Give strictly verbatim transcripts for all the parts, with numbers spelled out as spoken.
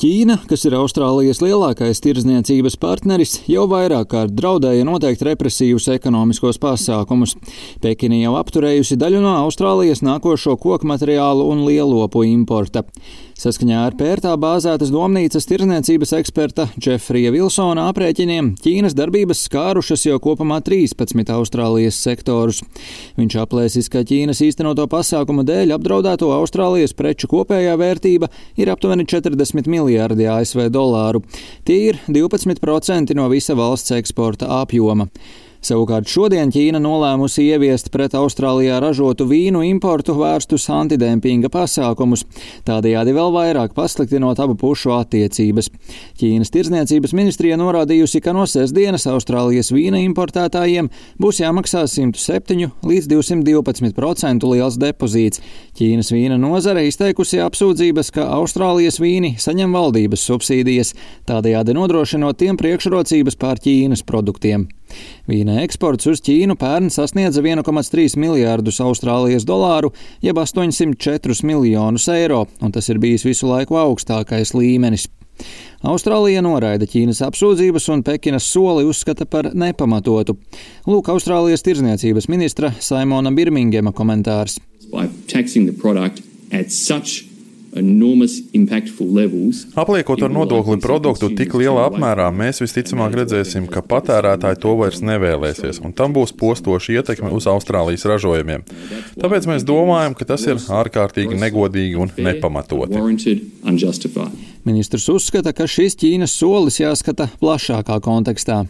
Ķīna, kas ir Austrālijas lielākais tirdzniecības partneris, jau vairāk kārt draudēja noteikt represīvus ekonomiskos pasākumus. Pekina jau apturējusi daļu no Austrālijas nākošo koku materiālu un lielopu importa. Saskaņā ar pērtā bāzētas domnīcas tirdzniecības eksperta Džefrija Vilsona aprēķiniem Ķīnas darbības skārušas jau kopumā trīspadsmit Austrālijas sektorus. Viņš aplēsis, ka Ķīnas īstenoto pasākumu dēļ apdraudēto Austrālijas preču kopējā vērtība ir aptuveni četrdesmit miljardi A S V dolāru. Tie ir divpadsmit procenti no visa valsts eksporta apjoma. Savukārt šodien Ķīna nolēmusi ieviest pret Austrālijā ražotu vīnu importu vērstus antidempinga pasākumus, tādējādi vēl vairāk pasliktinot abu pušu attiecības. Ķīnas tirdzniecības ministrija norādījusi, ka no sestdienas Austrālijas vīna importētājiem būs jāmaksā simt septiņu līdz divsimt divpadsmit procentu liels depozīts. Ķīnas vīna nozare izteikusi apsūdzības, ka Austrālijas vīni saņem valdības subsīdijas, tādējādi nodrošinot tiem priekšrocības pār Ķīnas produktiem. Vīna eksports uz Ķīnu pērn sasniedza viens komats trīs miljārdus Austrālijas dolāru, jeb astoņsimt četrus miljonus eiro, un tas ir bijis visu laiku augstākais līmenis. Austrālija noraida Ķīnas apsūdzības un Pekinas soli uzskata par nepamatotu. Lūk, Austrālijas tirdzniecības ministra Saimona Birmingema komentārs. Apliekot ar nodokli produktu tik lielā apmērā, mēs visticamāk redzēsim, ka patērētāji to vairs nevēlēsies, un tam būs postoša ietekme uz Austrālijas ražojumiem. Tāpēc mēs domājam, ka tas ir ārkārtīgi negodīgi un nepamatoti. Ministrs uzskata, ka šis Ķīnas solis jāskata plašākā kontekstā.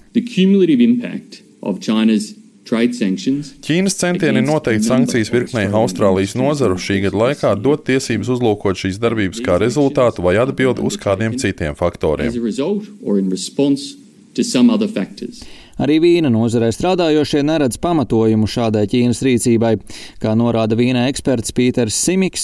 Ķīnas centieni noteikt sankcijas virknei Austrālijas nozaru šī gada laikā dod tiesības uzlūkot šīs darbības kā rezultātu vai atbildi uz kādiem citiem faktoriem. Arī vīna nozarē strādājošie neredz pamatojumu šādai Ķīnas rīcībai, kā norāda vīna eksperts Pīters Simiks.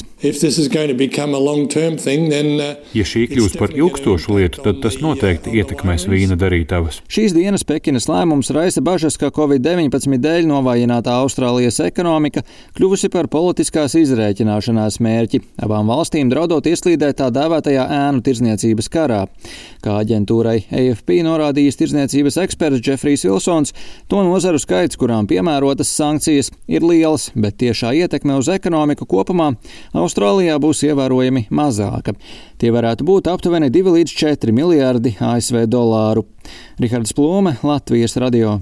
Ja šī kļūs par ilgstošu lietu, tad tas noteikti ietekmēs vīna darītavas. Šīs dienas Pekinas lēmums raisa bažas, ka covid deviņpadsmit dēļ novājinātā Austrālijas ekonomika kļuvusi par politiskās izrēķināšanās mērķi, abām valstīm draudot ieslīdēt tā dēvētajā ēnu tirdzniecības karā. Kā aģentūrai A F P norādījis tirdzniecības eksperts Džefrijs Vilsons, to nozaru skaits, kurām piemērotas sankcijas, ir liels, bet tiešā ietekme uz ekonomiku kopumā Austrālijā būs ievērojami mazāka. Tie varētu būt aptuveni divi līdz četri miljardi A S V dolāru. Rihards Plūme, Latvijas radio.